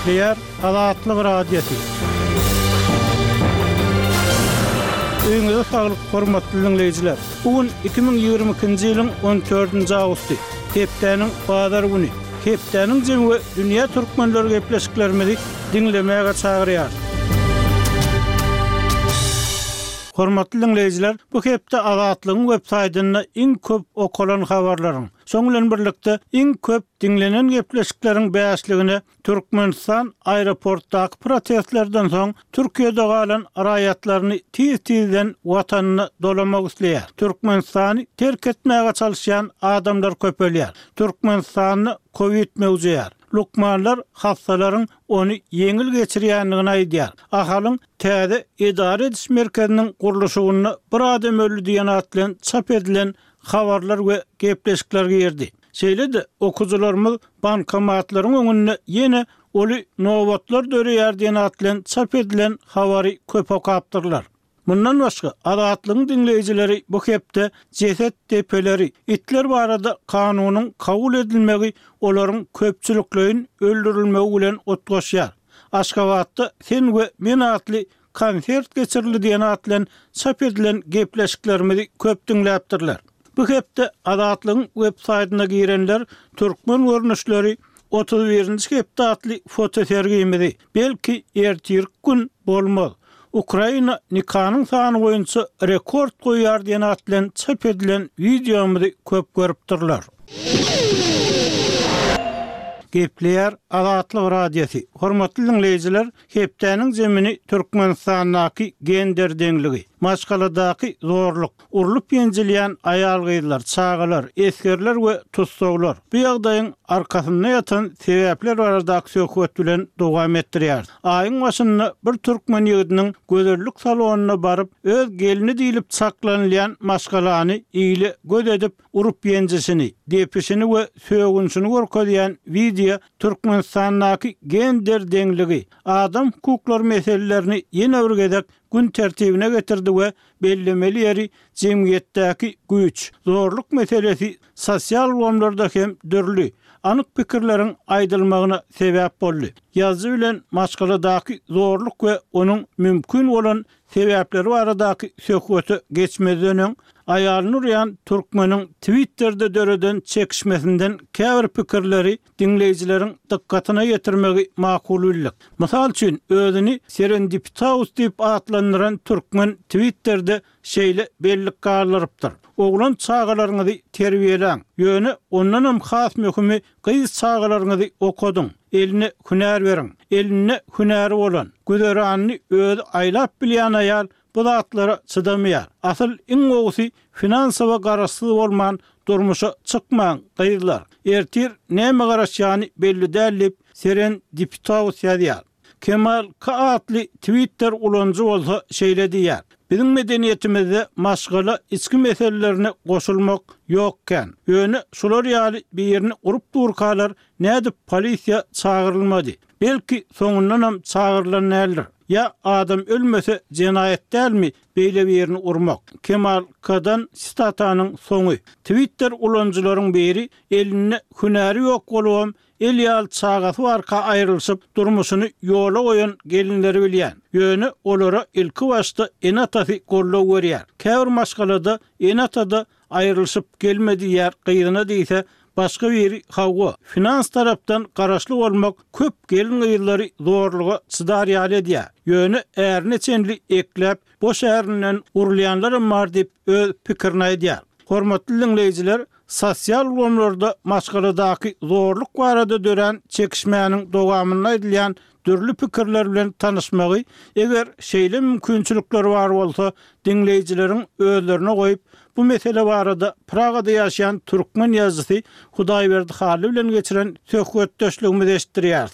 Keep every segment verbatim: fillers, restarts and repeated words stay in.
Gepleýär Azatlyk Radiosy. Öýüňize saglyk, hormatly diňleýjiler! Bu gün iki müň ýigrimi ikinji ýylyň on dördünji awgusty, hepdäniň bazar güni. Hepdäniň jemi we dünýä türkmenleri gepleşiklerimizi diňlemäge çagyrýar. Hormatly diňleýjiler, bu hepde Azatlygyň web saýtynda iň köp okalan habarlaryň, şoň bilen birlikde iň köp diňlenen gepleşikleriň bäşligine Türkmenistan aeroportdaky protestlerden soň Türkiýede galan raýatlaryny tiz-tizden watanyna dolamak isleýär. Türkmenistany terk etmäge çalyşýan adamlar köpelýär. Türkmenistanda COVID möwjeýär. Lukmanlar hassalaryň ony ýeňil geçirýändigini aýdýar. Ahalyň täze edara ediş merkeziniň gurluşygynda bir adam öldi diýen at bilen çap edilen habarlar we gepleşikler girdi. Şeýle-de okyjylarymyz bankomatlaryň öňünde ýene uly nobatlar döreýär diýen at bilen çap edilen habary köp okapdyrlar. Mundan başga Azatlygyň diňleýjileri bu hepde jeset depeleri, itler barada kanunyň kabul edilmegi olaryň köpçülikleýin öldürilmegi bilen utgaşýar. Aşgabatda Sen we Men atly konsert geçirildi diýen at bilen çap edilen gepleşiklerimizi köp diňläpdirler. Bu hepde Azatlygyň web saýtyna girenler türkmen görnüşleri otuz birinji hepde atly fotosergimizi, belki ertirki gün bolmaz, Ukraina nikanyň sany boýunça rekord goýýar diýen at bilen çap edilen wideomyzy köp görüpdirler. Gepleýär Azatlyk Radiosy. Hormatly diňleýjiler, hepdäniň zemini Türkmenistandaky gender deňligi, maşgaladaky zorluk, urlup ýenjilýän aýal-gyzlar, çagalar, esgerler we tussaglar. Bu ýagdaýyň arkasynda ýatan sebäpler baradaky söhbet bilen dowam etdirýär. Aýyň başynda bir türkmen ýigidiniň gözellik salonyna baryp, öz gelni diýlip çaklanylýan maşgalany ile göz edip urup ýenjişini, depişini we sögünşini görkezýän wideo Türkmenistandaky gender deňligi, adam hukuklary meselelerini ýene bir gezek gün tertibine getirdi we bellemeli ýeri jemgyýetdäki güýç, zorluk meselesi sosial ulgamlarda hem dürli, anyk pikirleriň aýdylmagyna sebäp boldy. Ýazyjy bilen maşgaladaky zorluk we onuň mümkin bolan sebäpleri baradaky söhbete geçmezden öň, aýalyny urýan türkmeniň Twitterде döreden çekişmesinden käbir pikirleri diňleýjileriň dykgatyna ýetirmegi makul bildik. Mysal üçin, özüni Serendipitaus diýip atlandyran türkmen Twitterде şeýle bellik galdyrypdyr. Oglan çagalaryňyzy terbiýeläň, ýöne ondanam has möhümi gyz çagalaryňyzy okadyň, eline hünär beriň. Elinde hünäri bolan, güzeranyny özi aýlap bilýän aýal bu zatlara çydamaýar. Asyl iň gowusy finansowa garaşsyz bolman durmuşa çykmaň gyzlar. Ertir näme garaşýany belli däl diýip Serendipitaus ýazýar. Kemal K atly Twitter ulanyjy bolsa şeýle diýýär. Biziň medeniýetimizde maşgala içki meselelerine goşulmak ýok kän. Ýöne şular ýaly birini urup durkalar nädip polisiýa çagyrylmady? Belki soňundanam çagyrylan däldir. Ýa adam ölmese jenaýat dälmi beýle birini urmak? Kemal K-dan sitatanyň soňy. Twitter ulanyjylaryň biri elinde hünäri ýok bolubam el ýaly çagasy barka aýrylyşyp durmuşyny ýola goýan gelinleri bilýän. Ýöne olara ilki başda ene-atasy goldaw berýär. Käbir maşgalada ene-atada aýrylyşyp gelme diýýär gyzyna diýse, başga biri hawa, finans tarapdan garaşly bolmak köp gelin-gyzlary zorluga çydar ýaly edýär. Ýöne ärine çenli ekläp, boş ärinden urulýanlaram bar diýip öz pikirini aýdýar. Hormatly diňleýjiler, sosial ulgamlarda maşgaladaky zorluk barada dörän çekişmäniň dowamynda aýdylýan dürli pikirler bilen tanyşmagy, eger şeýle mümkinçilikler bar bolsa, diňleýjileriň özlerine goýup, bu mesele barada Pragada ýaşaýan türkmen ýazyjysy Hudaýberdi Hally bilen geçiren söhbetdeşligimizi eşitdirýäris.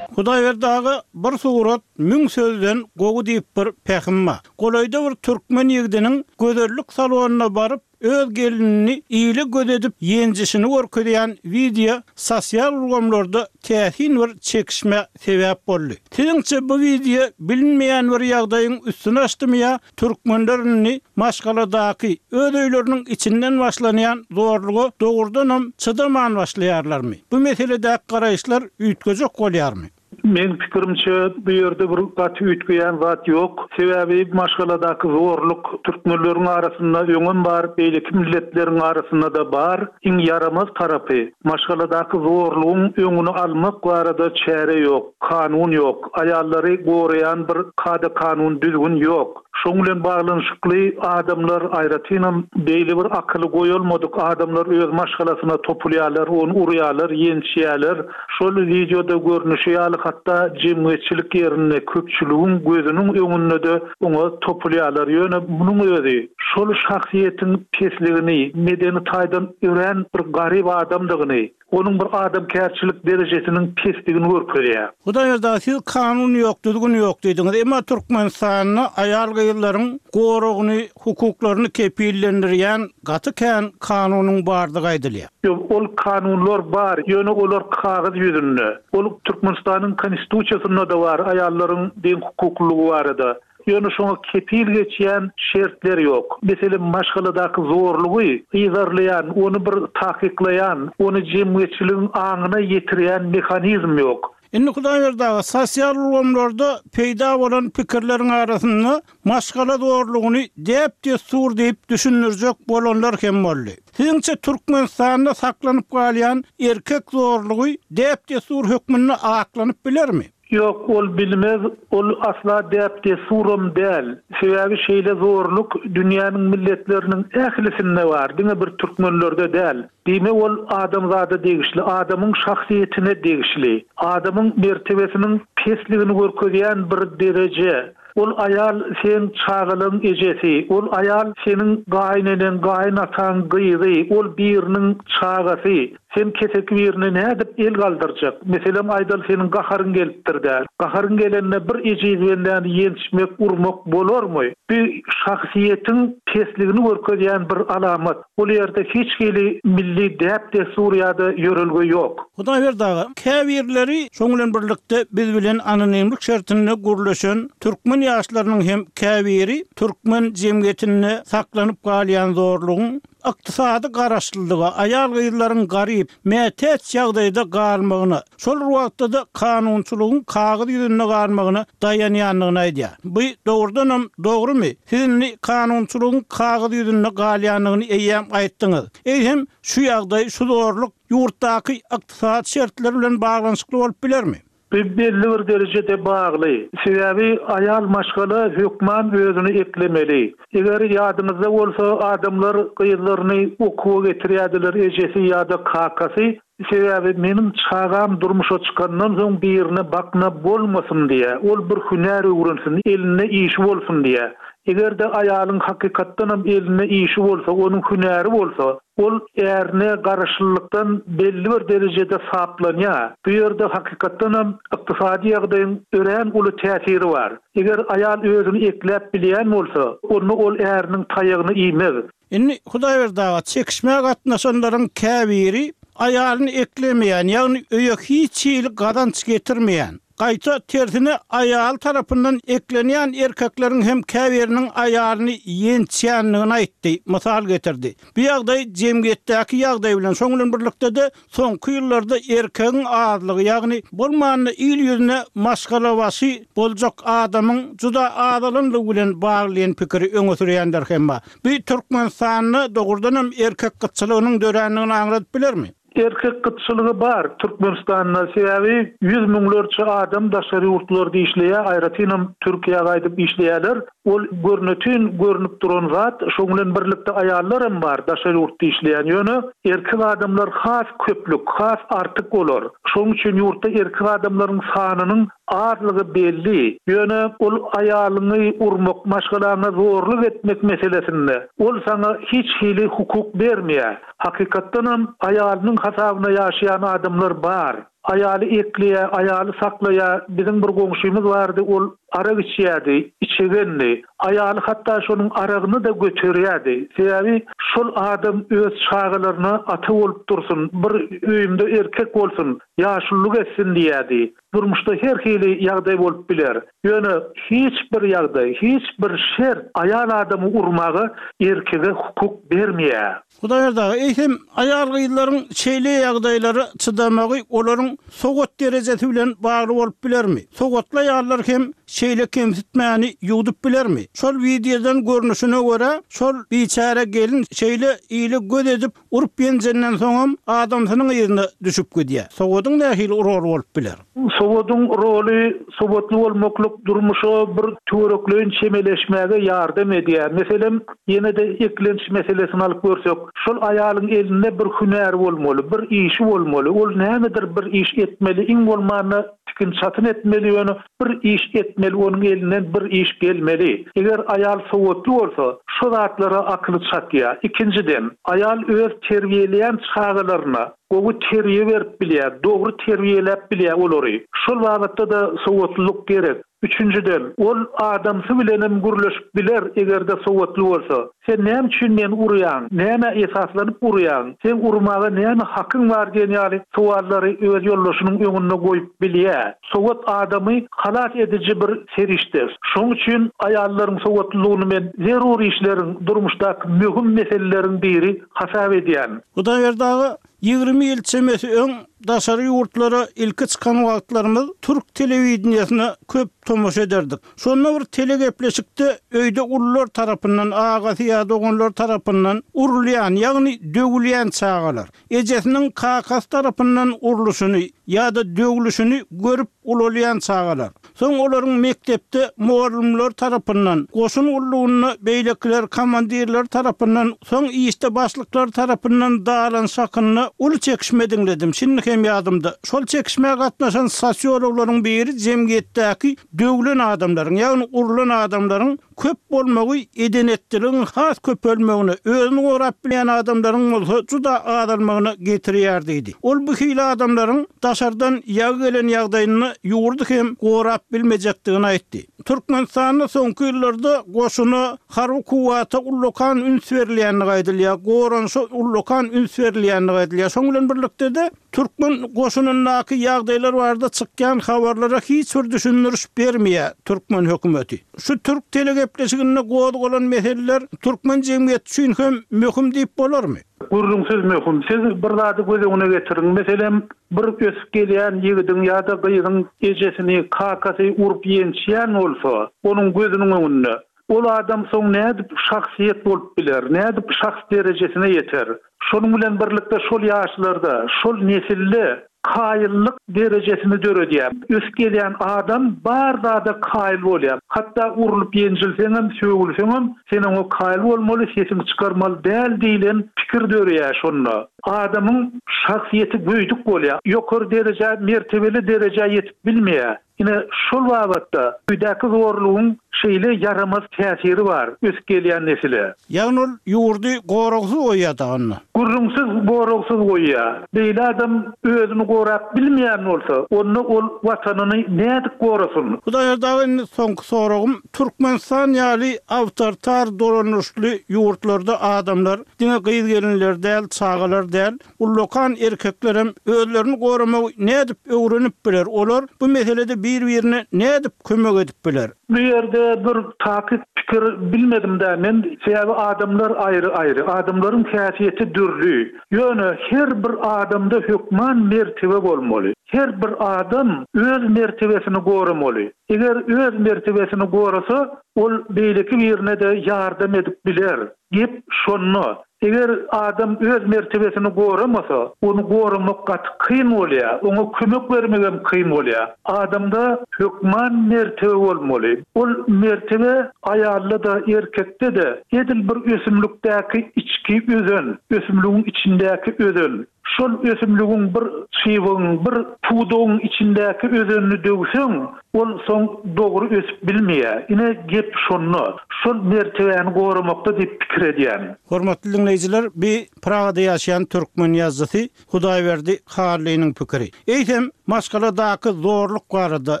Hudaýberdi aga, bir surat müň sözden gowy diýip bir pähim bar. Golaýda bir türkmen ýigidiniň gözellik salonyna baryp, öz gelinini ile göz edip ýenjişini görkezýän wideo sosial ulgamlarda täsin bir çekişmä sebäp boldy. Siziňçe bu wideo bilinmeýän bir ýagdaýyň üstüni açdymy ýa türkmenler indi maşgaladaky öz öýleriniň içinden başlanýan zorluga dogrudanam çydaman başlaýarlarmy? Bu meseledäki garaýyşlar üýtgejek bolýarmy? Meň pikirimçe, bu ýerde bir gaty üýtgeýän zat ýok. Sebäbi maşgaladaky zorluk türkmenleriň arasynda öňem bar, beýleki milletleriň arasynda-da bar. Iň ýaramaz tarapy, maşgaladaky zorlugyň öňüni almak barada çäre ýok, kanun ýok, aýallary goraýan bir kada-kanun, düzgün ýok. Şoň bilen baglanyşykly adamlar, aýratynam beýle bir akyly goýalmadyk adamlar öz maşgalasyna topulýarlar, ony urýarlar, ýençýärler. Şol wideoda görnüşi ýaly hatda jemgyýetçilik ýerinde, köpçüligiň gözüniň öňünde-de oňa topulýarlar. Ýöne munuň özi şol şahsyýetiň pesligini, medeni taýdan örän bir garyp adamdygyny, onuň bir adamkärçilik derejesiniň pesdigini görkezýär. Hudaýberdi aga, siz kanun ýok, düzgün ýok diýdiňiz. Emma Türkmenistanda aýal-gyzlaryň goragyny, hukuklaryny kepillendirýän gaty kän kanunyň bardygy aýdylýar. Ýok, ol kanunlar bar, ýöne olar kagyz ýüzünde. Ol Türkmenistanyň Konstitusiýasynda-da bar, aýallaryň deň hukuklylygy barada. Ýöne şoňa kepil geçýän şertler ýok. Meselem, maşgaladaky zorlugy yzarlaýan, ony bir takyklaýan, ony jemgyýetçiligiň aňyna ýetirýän mehanizm ýok. Indi Hudaýberdi aga, sosial ulgamlarda peýda bolan pikirleriň arasynda maşgala zorlugyny däp-dessur diýip düşündirjek bolanlar hem boldy. Siziňçe Türkmenistanda saklanyp galýan erkek zorlugy däp-dessur hökmünde aklanyp bilermi? Ýok, ol bilmez, ol asla däp-dessuram däl. Sebäbi şeýle zorluk dünýäniň milletleriniň ählisinde bar, diňe bir türkmenlerde däl. Diýmek, ol adamzada degişli, adamyň şahsyýetine degişli, adamyň mertebesiniň pesligini görkezýän bir dereje. Ol aýal seň çagalaň ejesi, ol aýal seniň gaýyneneň, gaýynataň gyzy, ol biriniň çagasy. Sen keseki birine nädip el galdyrjak? Meselem, aýdaly seniň gaharyň gelipdir-dä. Gaharyň gelende bir ejiz bendäni ýençmek, urmak bolarmy? Bu şahsyýetiň pesligini görkezýän bir alamat. Ol ýerde hiç hili milli däp-dessur ýa-da ýörelge ýok. Hudaýberdi aga, käbirleri şoň bilen birlikde biz bilen anonimlik şertinde gürleşen türkmen ýaşlarynyň hem käbiri türkmen jemgyýetinde saklanyp galýan zorlugyň ykdysady garaşlylyga, aýal-gyzlaryň garyp, mätäç ýagdaýda galmagyna, şol bir wagtda-da kanunçylygyň kagyz ýüzünde galmagyna daýanýandygyny aýdýar. Bu dogrudanam dogrumy? Siz indi kanunçylygyň kagyz ýüzünde galýandygyny eýýäm aýtdyňyz. Eýsem, şu ýagdaý, şu zorluk ýurtdaky ykdysady şertler bilen baglanyşykly bolup bilermi? Bu belli bir derejede bagly. Sebäbi aýal maşgala hökman özüni eklemeli. Eger ýadyňyzda bolsa, adamlar gyzlaryny okuwa getirýärdiler, ejesi ýa-da kakasy. Sebäbi meniň çagam durmuşa çykandan soň birine bakna bolmasyn diýe, ol bir hünär öwrensin, elinde işi bolsun diýe. Eger-de aýalyň hakykatdanam elinde işi bolsa, onuň hünäri bolsa, ol ärine garaşlylykdan belli bir derejede saplanýar. Bu ýerde hakykatdanam ykdysady ýagdaýyň örän uly täsiri bar. Eger aýal özüni ekläp bilýän bolsa, onda ol äriniň taýagyny iýmez. Indi Hudaýberdi aga, çekişmä gatnaşanlaryň käbiri aýalyny eklemeýän, ýagny öýe hiç hili gazanç getirmeýän, gaýta tersine aýaly tarapyndan eklenýän erkekleriň hem käbiriniň aýalyny ýençýändigini aýtdy, mysal getirdi. Bu ýagdaý jemgyýetdäki ýagdaý bilen, şoň bilen birlikde-de soňky ýyllarda erkegiň azlygy, ýagny bolmanda il ýüzüne maşgalabaşy boljak adamyň juda azalanlygy bilen bagly diýen pikiri öňe sürýänler hem bar. Bu Türkmenistanda dogrudanam erkek gytçylygynyň dörändigini aňladyp bilermi? Erkek gytçylygy bar Türkmenistanda, sebäbi ýüz müňlerçe adam daşary ýurtlarda işleýär, aýratynam Türkiýä gaýdyp işleýärler. Ol görnetin görnüp duran zat, şoň bilen birlikde aýallar hem bar daşary ýurtda işleýän. Ýöne erkek adamlar has köplük, has artyk olar. Şoň üçin ýurtda erkek adamlaryň sanynyň azlygy belli. Ýöne ol aýalyňy urmak, maşgalaňa zorluk etmek meselesinde ol saňa hiç hili hukuk bermeýär. Hakykatdanam aýalynyň hasabyna ýaşaýan adamlar bar. Aýaly ekleýär, aýaly saklaýar. Biziň bir goňşymyz bardy, ol Arak içýärdi, içegendi. Aýaly hatda şonuň aragyny-da göterýärdi. Sebäbi şol adam öz çagalaryna ata bolup dursun, bir öýümde erkek bolsun, ýaşulluk etsin diýärdi. Durmuşda her hili ýagdaý bolup biler. Ýöne hiç bir ýagdaý, hiç bir şert aýal adamy urmaga erkege hukuk bermeýär. Hudaýberdi aga, eýsem aýal gyzlaryň şeýle ýagdaýlara çydamagy olaryň sowat derejesi bilen bagly bolup bilermi? Sowatly aýallar hem şeýle kemsitmäni ýuwdup bilermi? Şol wideodan görnüşine görä, şol biçäre gelin şeýle ile göz edip urup ýenjenden soňam adamsynyň yzyna düşüp gidýär. Sowadyň nähili rol bolup biler? Sowadyň roly sowatly bolmaklyk durmuşa bir töwerekleýin çemeleşmäge ýardam edýär. Meselem, ýene-de eklenç meselesini alyp görsek, şol aýalyň elinde bir hünär bolmaly, bir işi bolmaly. Ol nämedir bir iş etmeli, iň bolmanda tikin çatyn etmeli, ýöne bir iş etmeli, onuň elinden bir iş gelmeli. Eger aýal sowatly bolsa, şu zatlara akyly çatýar. Ikinjiden, aýal öz terbiýeleýän çagalaryna gowy terbiýe berip bilýär, dogry terbiýeläp bilýär olary. Şol babatda-da sowatlylyk gerek. Üçünjiden, ol adamsy bilenem gürleşip biler eger-de sowatly bolsa. Sen näme üçin meni urýaň? Näme esaslanyp urýaň? Sen urmaga näme hakyň bar diýen ýaly sowallary öz ýoldaşynyň öňünde goýup bilýär. Sowat adamy halas ediji bir serişde. Şonuň üçin aýallaryň sowatlylygyny men zerur işleriň, durmuşdaky möhüm meseleleriň biri hasap edýän. Hudaýberdi aga, ýigrimi ýyl çemesi öň daşary ýurtlara ilki çykan wagtlarymyz türk telewideniýesine köp tomaşa ederdik. Şonda bir telegepleşikde öýde ulular tarapyndan, agasy ýa doganlar tarapyndan urulýan, ýagny döwülýän çagalar, ejesiniň kakasy tarapyndan urluşyny ýa-da döwlüşini görüp ulalýan çagalar. Soň olaryň mekdepde mugallymlar tarapyndan, goşun gullugyna beýlekiler komandirler tarapyndan, soň işde başlyklar tarapyndan dalan şakynda uly çekişme diňledim. Şimdi hem ýadymda. Şol çekişmä gatnaşan sosiologlaryň biri jemgyýetdäki döwlen adamlaryň, ýagny urulan adamlaryň köp bolmagy edenetdiligiň has köpelmegine, özüni gorap bilýän adamlaryň bolsa juda azalmagyna getirýär diýdi. Ol bu hili adamlaryň daşardan ýagy gelen ýagdaýyny ýurdy hem gorap bilmejekdigini aýtdy. Türkmenistanda soňky ýyllarda goşuna harby kuwwata ullakan üns berilýänligi aýdylýar, goranşa ullakan üns berilýänligi aýdylýar. Şonuň bilen birlikde-de türkmen goşunyndaky ýagdaýlar barada çykýan habarlara hiç bir düşündiriş bermeýär türkmen hökümeti. Şu türk telegepleşiginde gozgalan meseleler türkmen jemgyýeti üçin hem möhüm diýip bolarmy? Gürrüňsiz möhüm. Siz bir zady göz öňüne getiriň. Meselem, bir ösüp gelýän ýigidiň ýa-da gyzyň ejesini, kakasy urup ýençýän bolsa, onuň gözüniň öňünde ol adam soň nädip şahsyýet bolup biler, nädip şahs derejesine ýeter? Şonuň bilen birlikde şol ýaşlarda, şol nesilde kaýyllyk derejesini döredýär. Ösüp gelýän adam bar zada kaýyl bolýar. Hatda urulyp ýenjilseňem, sögülseňem, sen oňa kaýyl bolmaly, sesiňi çykarmaly däl diýlen pikir döreýär şonda. Adamyň şahsyýeti göýdük bolýar. Ýokary derejä, mertebeli derejä ýetip bilmeýär. Ine şol babatda öýdäki zorlugyň şeýle ýaramaz täsiri bar ösüp gelýän nesile. Ýagny ol ýurdy goragsyz goýýar da onda. Gürrüňsiz goragsyz goýýar. Beýle adam özüni gorap bilmeýän bolsa, onda ol watanyny nädip gorasyn? Hudaýberdi aga, indi soňky soragym, Türkmenistan ýaly awtoritar dolandyryşly ýurtlarda adamlar diňe gyz gelinler däl, çagalar däl, ullakan erkeklerem özlerini goramagy nädip öwrenip biler? Olar bu meselede bir-birine nädip kömek edip biler? Bu ýerde bir takyk pikir bilmedim de men, sebäbi adamlar aýry-aýry, adamlaryň häsiýeti dürli. Ýöne her bir adamda hökman mertebe bolmaly. Her bir adam öz mertebesini goramaly. Eger öz mertebesini gorasa, ol beýleki birine de ýardam edip biler. Gep şonda. Eger adam öz mertebesini goramasa, ony goramak gaty kyn bolýar, oňa kömek bermek hem kyn bolýar. Adamda hökman mertebe bolmaly. Ol mertebe aýalda da, erkekde de edil bir ösümlikdäki içki özen, ösümligiň içindäki özen. Şol ösümligiň bir çybygyň, bir pudagyň içindäki özenini döwseň, ol soň dogry ösüp bilmeýär. Ine, gep şonda. Şol mertebäni goramakda diýip pikir edýän. Hormatly diňleýjiler, bi Pragada ýaşaýan türkmen ýazyjysy Hudaýberdi Hallynyň pikiri. Eýsem, maşgaladaky zorluk barada,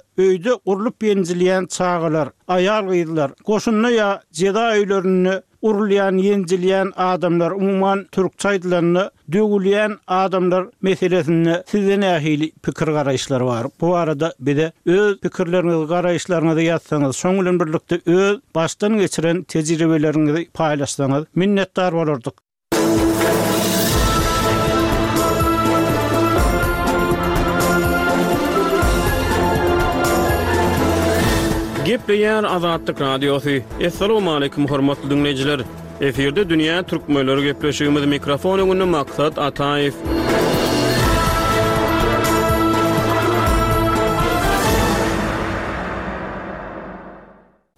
öýde urlup ýenjilýän çagalar, aýal-gyzlar, goşunda ýa jeza öýlerinde urulýan, ýenjilýän adamlar, umuman türkçe aýdylanda döwülýän adamlar meselesinde sizde nähili pikir garaýyşlar bar? Bu barada bize öz pikirleriňizi, garaýyşlaryňyzy ýazsaňyz, şoň bilen birlikde öz başdan geçiren tejribeleriňizi paýlaşsaňyz minnetdar bolardyk. Gepleýär Azatlyk Radiosy. Assalamualaikum hormatly dinleýjiler. Efirde Dünýä Türkmenleri gepleşigimiz mikrofon öňünde Maksat Ataýew.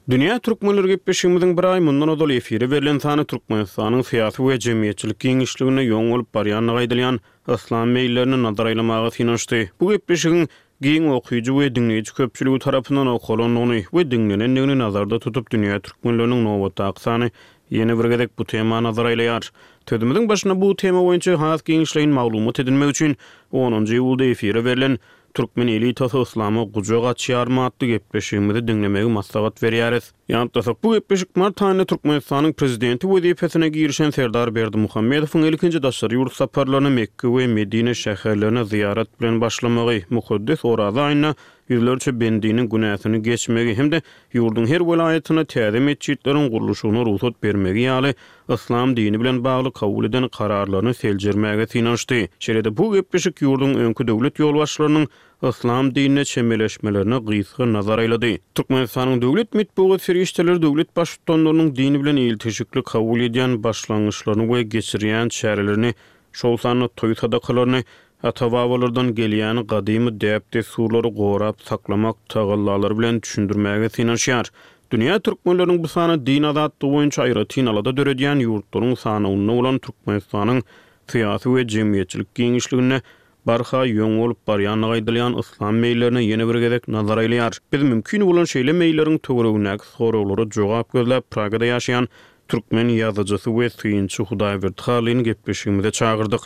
Dünýä Türkmenleri gepleşigimiziň bir aý mundan ozal efire berlen sany Türkmenistanyň syýasy we jemgyýetçilik giňişliginde ýoň bolup barýandygy aýdylýan yslam meýillerini nazar aýlamaga synanyşdy. Bu gepleşigiň giň okyjy we diňleýji köpçüligi tarapyndan okalandygyny we diňlenendigini nazarda tutup Dünýä Türkmenleriniň nobatdaky sany ýene bir gezek bu tema nazar aýlaýar. Sözümiziň başynda bu tema boýunça has giňişleýin maglumat edinmek üçin onunjy iýulda efire berlen Türkmen elitasy yslama gujak açýarmy atly gepleşigimizi diňlemegi maslahat berýäris. Ýatlasak, bu gepleşik mart aýynda Türkmenistanyň prezidenti wezipesine girişen Serdar Berdimuhamedowyň ilkinji daşary ýurt saparlaryny Mekke we Medine şäherlerine zyýarat bilen başlamagy, mukaddes Oraza aýynda ýüzlerçe bendiniň günäsini geçmegi hem-de ýurduň her welaýatyna täze metjitleriň gurluşygyna rugsat bermegi ýaly yslam dini bilen bagly kabul eden kararlaryny seljermäge synanyşdy. Şeýle-de bu gepleşik ýurduň öňki döwlet ýolbaşçylarynyň yslam dinine çemeleşmelerine gysga nazar aýlady. Türkmenistanyň döwlet metbugat serişdeleri döwlet baştutanlarynyň dini bilen ilteşikli kabul edýän başlangyçlaryny we geçirýän çärelerini, şol sanda toý sadakalaryny, ata-babalardan gelýän gadymy däp-dessurlary gorap saklamak tagallalary bilen düşündirmäge synanyşýar. Dünýä türkmenleriniň bu sany din azatlygy boýunça aýratyn alada döredýän ýurtlaryň sanawynda bolan Türkmenistanyň syýasy we jemgyýetçilik giňişliginde barha ýoň bolup barýandygy aýdylýan yslam meýillerine ýene bir gezek nazar aýlaýar. Biz mümkin bolan şeýle meýilleriň töweregindäki soraglara jogap gözläp Pragada ýaşaýan türkmen ýazyjysy we synçy Hudaýberdi Hallyny gepleşigimize çagyrdyk.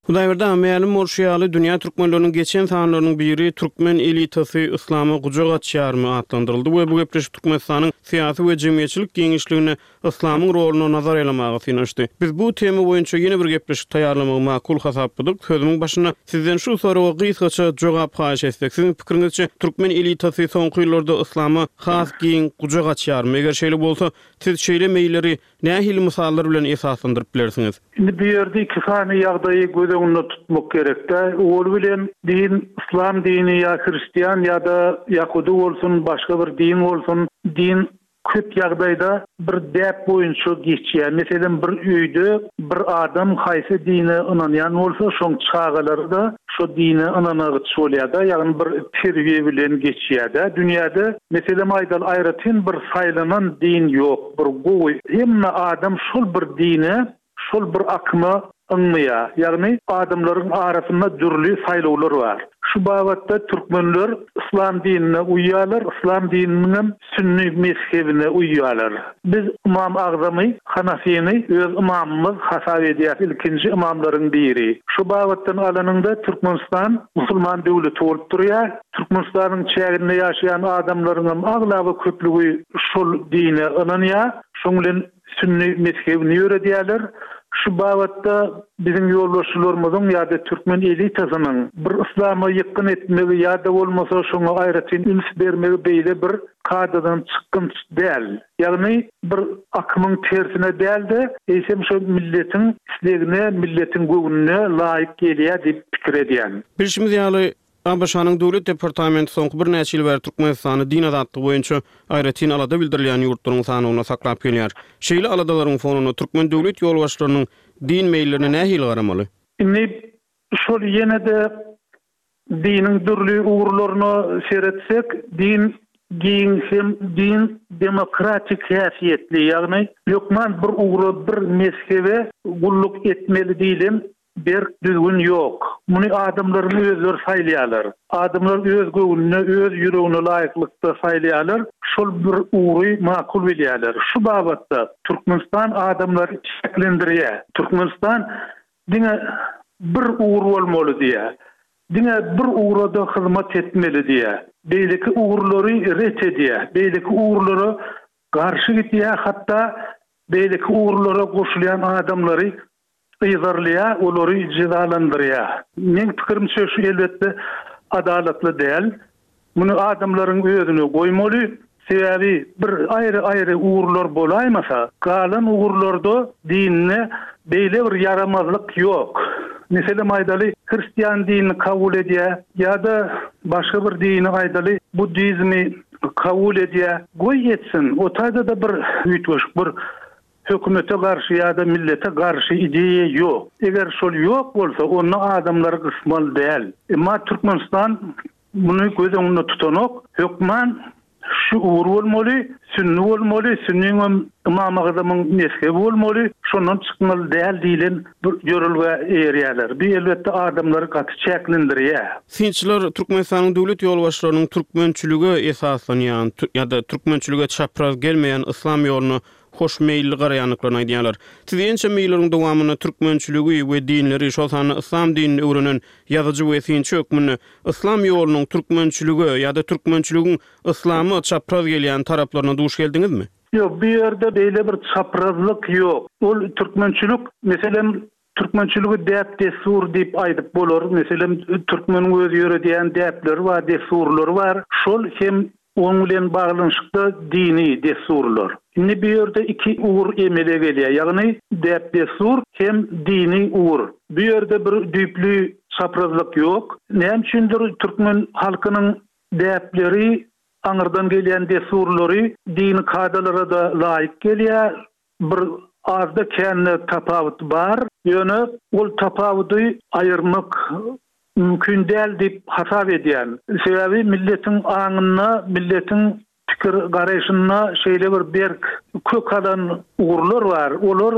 Hudaýberdi aga, mälim bolşy ýaly, dünýä türkmenleriniň geçen sanlarynyň biri Türkmen elitasy yslama gujak açýarmy atlandyryldy we bu gepleşik Türkmenistanyň syýasy we jemgyýetçilik giňişliginde yslamyň roluna nazar aýlamaga synanyşdy. Biz bu tema boýunça ýene bir gepleşik taýýarlamagy makul hasapladyk. Sözümiň başynda sizden şu soraga gysgaça jogap haýyş etsek, siziň pikiriňizçe türkmen elitasy soňky ýyllarda yslama has giň gujak açýarmy? Eger şeýle bolsa, siz şeýle meýilleri nähili mysallar bilen esaslandyryp bilersiňiz? Indi bu ýerde iki sany ýagdaýy göz öňünde tutmak gerek-dä. Ol bilen din, yslam dini ýa hristian ýa-da ýahudy bolsun, başga bir din bolsun, din köp ýagdaýda bir däp boýunça geçýär. Meselem, bir öýde bir adam haýsy dine ynanýan bolsa, şoň çagalary-da şo dine ynanagyç bolýar-da, ýagny bir terbiýe bilen geçýär-dä. Dünýäde, meselem aýdaly, aýratyn bir saýlanan din ýok, bir gowy. Hemme adam şol bir dine, şol bir akyma ynmaýar. Ýagny adamlaryň arasynda dürli saýlawlar bar. Şu babatda türkmenler yslam dinine uýýarlar, yslam dininiň hem sünni mezhebine uýýarlar. Biz Ymam Agzamy Hanafini öz ymamymyz hasap edýäris, ilkinji ymamlaryň biri. Şu babatdan alanyňda Türkmenistan musulman döwleti bolup durýar. Türkmenistanyň çäginde ýaşaýan adamlaryň hem aglaba köplügi şol dine ynanýar. Şoň bilen sünni mezhebini ýöredýärler. Şu babatda biziň ýolbaşçylarymyzyň ýa-da türkmen elitasynyň bir yslama ýykgyn etmegi ýa-da bolmasa şoňa aýratyn üns bermegi beýle bir kadadan çykgynç däl. Ýagny bir akymyň tersine däl-de, eýsem şo milletiň islegine, milletiň göwnüne laýyk gelýär diýip pikir edýän. Bilşimiz ýaly, ABŞ-nyň Döwlet departamenti soňky birnäçe ýyl bäri Türkmenistany din azatlygy boýunça aýratyn alada bildirilýän ýurtlaryň sanawynda saklap gelýär. Şeýle aladalaryň fonunda türkmen döwlet ýolbaşçylarynyň din meýillerine nähili garamaly? Indi şol ýene-de diniň dürli ugurlaryna seretsek, din Giň hem din demokratik häsiýetli, ýagny hökman bir ugra, bir mezhebe gulluk etmeli diýlen berk düzgün ýok. Muny adamlaryň özleri saýlaýarlar. Adamlar öz göwnüne, öz ýüregine laýyklykda saýlaýarlar, şol bir ugry makul bilýärler. Şu babatda Türkmenistan adamlary çäklendirýär. Türkmenistan diňe bir ugur bolmaly diýýär. Diňe bir ugra-da hyzmat etmeli diýýär. Beýleki ugurlary ret edýär. Beýleki ugurlara garşy gidýär, hatda beýleki ugurlara goşulýan adamlary yzarlaýar, olary jezalandyrýar. Meň pikirimçe şu elbetde adalatly däl. Muny adamlaryň özüne goýmaly. Sebäbi bir aýry-aýry ugurlar bolaýmasa, galan ugurlarda dinde beýle bir ýaramazlyk ýok. Meselem aýdaly, hristian dinini kabul edýär ýa-da başga bir dini aýdaly, buddizmi kabul edýär. Goý etsin, o taýda-da bir üýtgeşik bir hökümete garşy ýa-da millete garşy ideýa ýok. Eger şol ýok bolsa, onda adamlary gysmaly däl. Emma Türkmenistan muny göz öňünde tutanok. Hökman şu ugur bolmaly, sünni bolmaly, sünniňem Ymam Agzamyň mezhebi bolmaly, şondan çykmaly däl diýlen bir ýörelgä eýerýärler. Bu elbetde adamlary gaty çäklendirýär. Synçylar Türkmenistanyň döwlet ýolbaşçylarynyň türkmençilige esaslanýan ýa-da türkmençilige çapraz gelmeýän yslam ýoluna hoşmeýilli garaýandyklaryny aýdýarlar. Siz ençeme ýyllaryň dowamynda türkmençiligi we dinleri, şol sanda yslam dinini öwrenen ýazyjy we synçy hökmünde yslam ýolunyň türkmençilige ýa-da türkmençiligiň yslama çapraz gelýän taraplaryna duş geldiňizmi? Ýok, bu ýerde beýle bir çaprazlyk ýok. Ol türkmençilik, meselem, türkmençiligi däp-dessur diýip aýdyp bolar. Meselem, türkmeniň öz ýöredýän däpleri bar, dessurlary bar. Şol hem oň bilen baglanyşykda dini dessurlar. Indi bu ýerde iki ugur emele gelýär, ýagny däp-dessur hem dini ugur. Bu ýerde bir düýpli çaprazlyk ýok. Näme üçindir türkmen halkynyň däpleri, aňyrdan gelýän dessurlary dini kadalara-da laýyk gelýär. Bir azda-kände tapawut bar, ýöne ol tapawudy aýyrmak mümkin däl diýip hasap edýän. Sebäbi milletiň aňynda, milletiň pikir garaýşynda şeýle bir berk kök alan ugurlar bar, olar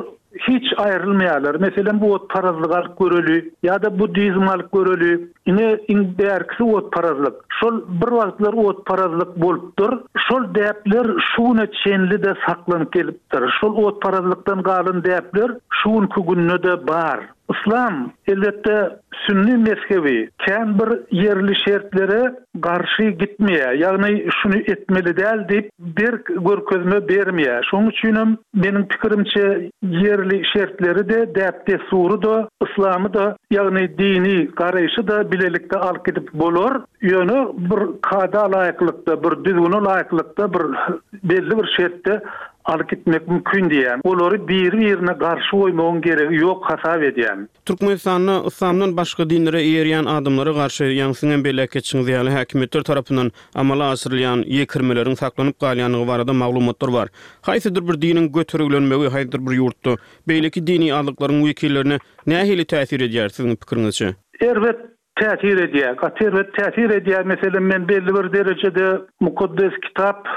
hiç aýrylmaýarlar. Meselem, otparazlygy alyp göreli ýa-da buddizmi alyp göreli. Ine, iň bärkisi otparazlyk. Şol bir wagtlar otparazlyk bolupdyr. Şol däpler şu güne çenli-de saklanyp gelipdir. Şol otparazlykdan galan däpler şu günki günde-de bar. Yslam, elbetde, sünni mezhebi kän bir ýerli şertlere garşy gitmeýär, ýagny şuny etmeli däl diýip berk görkezme bermeýär. Şonuň üçinem, meniň pikirimçe, ýerli şertleri-de, däp-dessury-da, yslamy-da, ýagny dini garaýşy-da bilelikde alyp gidip bolar. Ýöne bir kada laýyklykda, bir düzgüne laýyklykda, bir belli bir şertde alyp gitmek mümkin diýýän. Olary biri-birine garşy goýmagyň geregi ýok hasap edýän. Türkmenistanda yslamdan başga dinlere eýerýän adamlara garşy, ýaňy siziňem belläp geçişiňiz ýaly, häkimiýetler tarapyndan amala aşyrylýan ýekirmeleriň saklanyp galýandygy barada maglumatlar bar. Haýsydyr bir diniň götergilenmegi haýsydyr bir ýurtda beýleki dini azlyklaryň wekillerine nähili täsir edýär, siziň pikiriňizçe? Erbet täsir edýär, gaty erbet täsir edýär. Meselem, men belli bir derejede Mukaddes Kitap,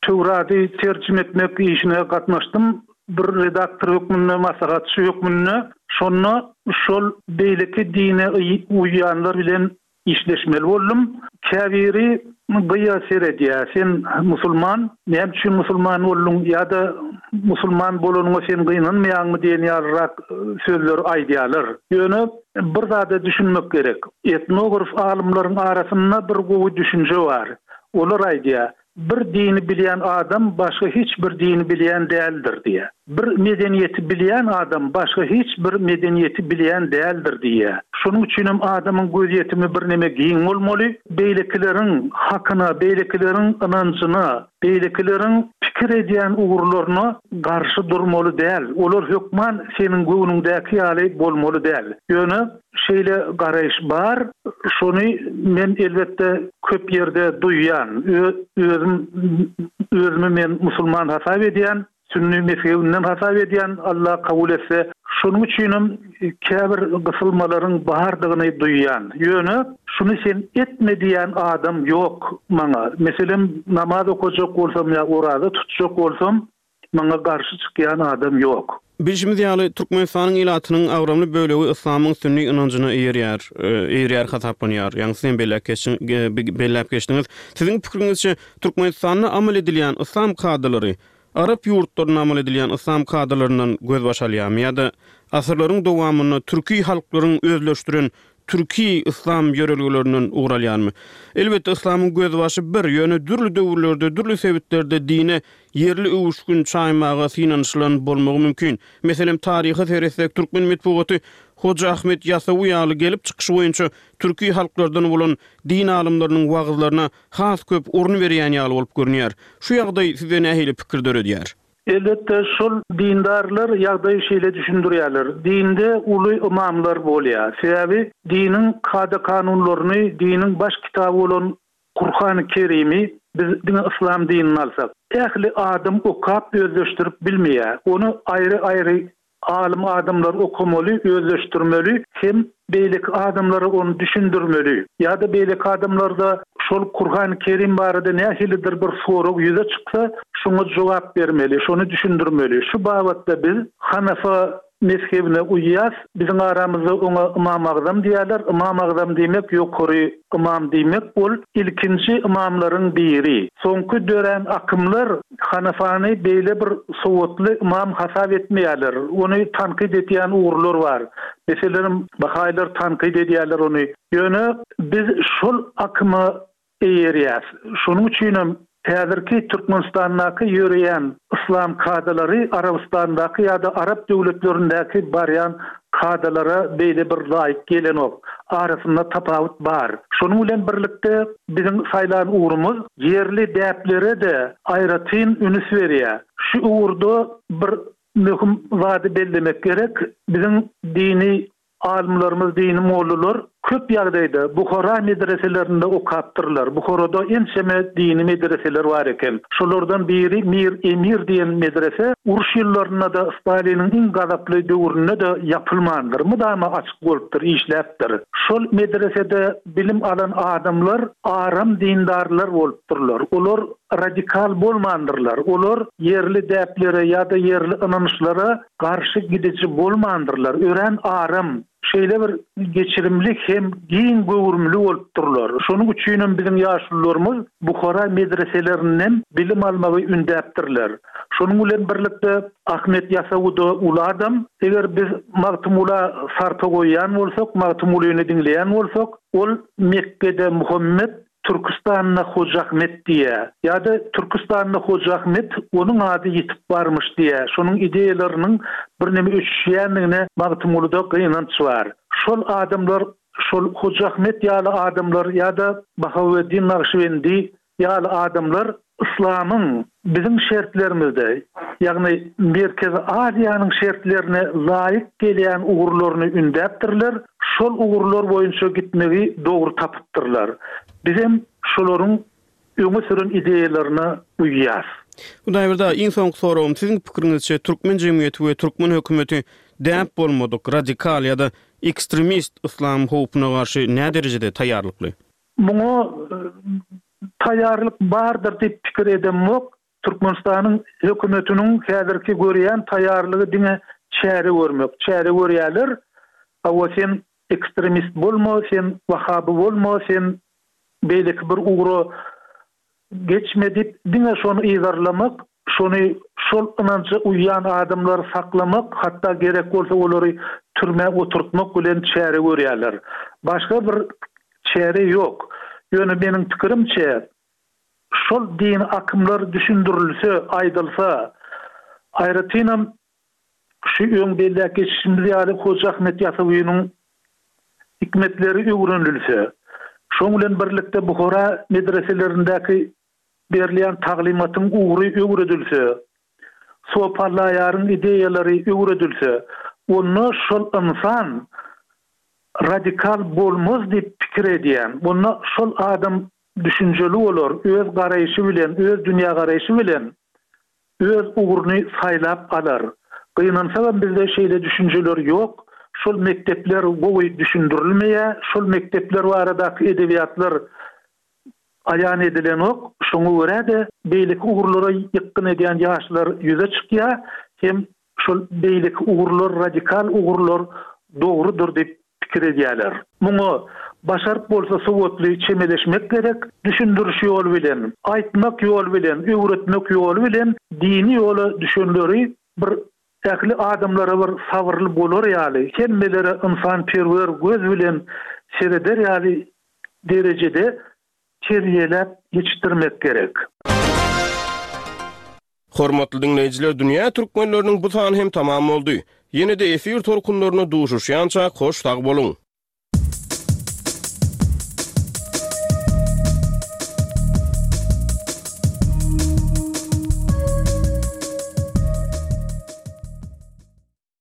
Töwrady terjime etmek işine gatnaşdym, bir redaktor hökmünde, maslahatçy hökmünde. Şonda şol beýleki dine uýýanlar bilen işleşmeli boldum. Käbiri gyýa seredýär, sen musulman, näme üçin musulman bolduň ýa-da musulman bolanyňa sen gynanmaýaňmy diýen ýalyrak sözleri aýdýarlar. Ýöne bir zada düşünmek gerek. Etnograf alymlaryň arasynda bir gowy düşünje bar. Olar aýdýar, Bir dini bilýän adam başga hiç bir dini bilýän däldir diýýär. Bir medeniýeti bilýän adam başga hiç bir medeniýeti bilýän däldir diýýär. Şonuň üçinem adamyň gözýetimi birneme giň bolmaly, beýlekileriň hakyna, beýlekileriň ynanjyna, beýlekileriň pikir edýän ugurlaryna garşy durmaly däl. Olar hökman seniň göwnüňdäki ýaly bolmaly däl. Ýöne şeýle garaýyş bar, şony men elbetde köp ýerde duýýan. Özüm özümi men musulman hasap edýän, sünni mezhebinden hasap edýän, Alla kabul etse Şonuň üçinem käbir gysylmalaryň bardygyny duýýan. Ýöne şuny sen etme diýen adam ýok maňa. Meselem, namaz okajak bolsam ýa oraza tutjak bolsam, maňa garşy çykýan adam ýok. Bilşimiz ýaly, Türkmenistanyň ilatynyň agramly bölegi yslamyň sünni ynanjyna eýerýär, eýerýär hasaplanýar. Ýaňy siz hem belläp geçdiň, belläp geçdiňiz. Siziň pikiriňizçe, Türkmenistanda amal edilýän yslam kadalary arap ýurtlarynda amal edilýän yslam kadalaryndan gözbaş alýarmy ýa-da asyrlaryň dowamynda türki halklaryň özleşdiren türki yslam ýörelgelerinden ugur alýarmy? Elbetde, yslamyň gözbaşy bir, ýöne dürli döwürlerde, dürli sebitlerde dine ýerli öwüşgin çaýmaga synanyşylan bolmagy mümkin. Meselem, taryha seretsek, türkmen metbugaty Hoja Ahmet Ýasawy ýaly gelip çykyşy boýunça türki halklardan bolan din alymlarynyň wagyzlaryna has köp orun berýän ýaly bolup görünýär. Şu ýagdaý size nähili pikir döredýär? Elbetde, şol dindarlar ýagdaýy şeýle düşündirýärler. Dinde uly ymamlar bolýar. Sebäbi diniň kada-kanunlaryny, diniň baş kitaby bolan Kurhany Kerimi biz diňe yslam dinini alsak, ähli adam okap özleşdirip bilmeýär. Ony aýry-aýry alym adamlar okamaly, özleşdirmeli hem beýleki adamlara ony düşündirmeli. Ýa-da beýleki adamlarda şol Kurhany Kerim barada nähilidir bir sorag ýüze çyksa, şoňa jogap bermeli, şony düşündirmeli. Şu babatda biz Hanafa mezhebine uýýas. Biziň aramyzda oňa Ymam Agzam diýýärler. Ymam Agzam diýmek ýokary ymam diýmek. Ol ilkinji ymamlaryň biri. Soňky dörän akymlar Hanafany beýle bir sowatly ymam hasap etmeýärler. Ony tankyt edýän ugurlar bar. Meselem, bahaýylar tankyt edýärler ony. Ýöne biz şol akyma eýerýäs. Şonuň üçinem häzirki Türkmenistandaky ýöreýän yslam kadalary Arabystandaky ýa-da arap döwletlerindäki barýan kadalara beýle bir laýyk gelenok. Arasynda tapawut bar. Şonuň bilen birlikde biziň saýlan ugrumyz ýerli däplere-de aýratyn üns berýär. Şu ugurda bir möhüm zady bellemek gerek. Biziň dini alymlarymyz, dini mollalar köp ýagdaýda Buhara medreselerinde okapdyrlar. Buharada ençeme dini medreseler bar eken. Şolardan biri Mir Emir diýen medrese uruş ýyllarynda-da Staliniň iň gazaply döwründe-de ýapylmandyr. Mydama açyk bolupdyr, işläpdir. Şol medresede bilim alan adamlar aram dindarlar bolupdyrlar. Olar radikal bolmandyrlar. Olar ýerli däplere ýa-da ýerli ynançlara garşy gidiji bolmandyrlar. Örän aram, şeýle bir geçirimli hem giň göwrümli bolupdyrlar. Şonuň üçinem biziň ýaşulularymyz Buhara medreselerinden bilim almagy ündäpdirler. Şonuň bilen birlikde Ahmet Ýasawy-da uly adam. Eger biz Magtymgula sarpa goýýan bolsak, Magtymgulyny diňleýän bolsak, ol Mekgede Muhammet, Türküstanda Hoja Ahmet diýýär. Ýa-da Türküstanda Hoja Ahmet, onuň ady ýitip barmyş diýýär. Şonuň ideýalarynyň birneme öçüşýändigine Magtymgulyda gynanç bar. Şol adamlar, şol Hoja Ahmet ýaly adamlar ýa-da Bahaweddin Nagyşbendi ýaly adamlar yslamyň biziň şertlerimizde, ýagny Merkezi Aziýanyň şertlerine laýyk gelýän ugurlaryny ündäpdirler, şol ugurlar boýunça gitmegi dogry tapypdyrlar. Bizem şolaryň öňe süren ideýalaryna uýýas. Hudaýberdi aga, iň soňky soragym, siziň pikiriňizçe, türkmen jemgyýeti we türkmen hökümeti däp bolmadyk, radikal ýa-da ekstremist yslam howpuna garşy näderejede taýýarlykly? Muňa taýýarlyk bardyr diýip pikir edemok. Türkmenistanyň hökümetiniň häzirki görýän taýýarlygy diňe çäre görmek. Çäre görýärler. Hawa, sen ekstremist bolma, sen wahaby bolma, sen beýleki bir ugra geçme diýip, diňe şony yzarlamak, şony şol ynanja uýýan adamlary saklamak, hatda gerek bolsa olary türmä oturtmak bilen çäre görýärler. Başga bir çäre ýok. Ýöne meniň pikirimçe, şol dini akymlar düşündirilse, aýdylsa, aýratynam şu öň belläp geçişimiz ýaly Hoja Ahmet Ýasawynyň hikmetleri öwrenilse, şoň bilen birlikde Buhara medreselerindäki berilýän taglymatyň ugry öwredilse, Sopy Allaýaryň ideýalary öwredilse, onda şol ynsan radikal bolmaz diýip pikir edýän. Onda şol adam düşünjeli bolar, öz garaýşy bilen, öz dünýägaraýşy bilen öz ugruny saýlap alar. Gynansagam bizde şeýle düşünjeler ýok. Şol mekdepler gowy düşündirilmeýär. Şol mekdepler baradaky edebiýatlar aýan edilenok. Şoňa görä-de beýleki ugurlara ýykgyn edýän ýaşlar ýüze çykýar hem şol beýleki ugurlar, radikal ugurlar dogrudyr diýip pikir edýärler. Muňa başaryp bolsa sowatly çemeleşmek gerek, düşündiriş ýoly bilen, aýtmak ýoly bilen, öwretmek ýoly bilen dini ýola düşenleri bir ähli adamlara bir sabyrly bolar ýaly, hemmelere ynsanperwer göz bilen sereder ýaly derejede terbiýeläp ýetişdirmek gerek. Hormatly diňleýjiler, Dünýä türkmenleriniň bu sany hem tamam boldy. Ýene-de efir tolkunlarynda duşuşýançak hoş sag boluň!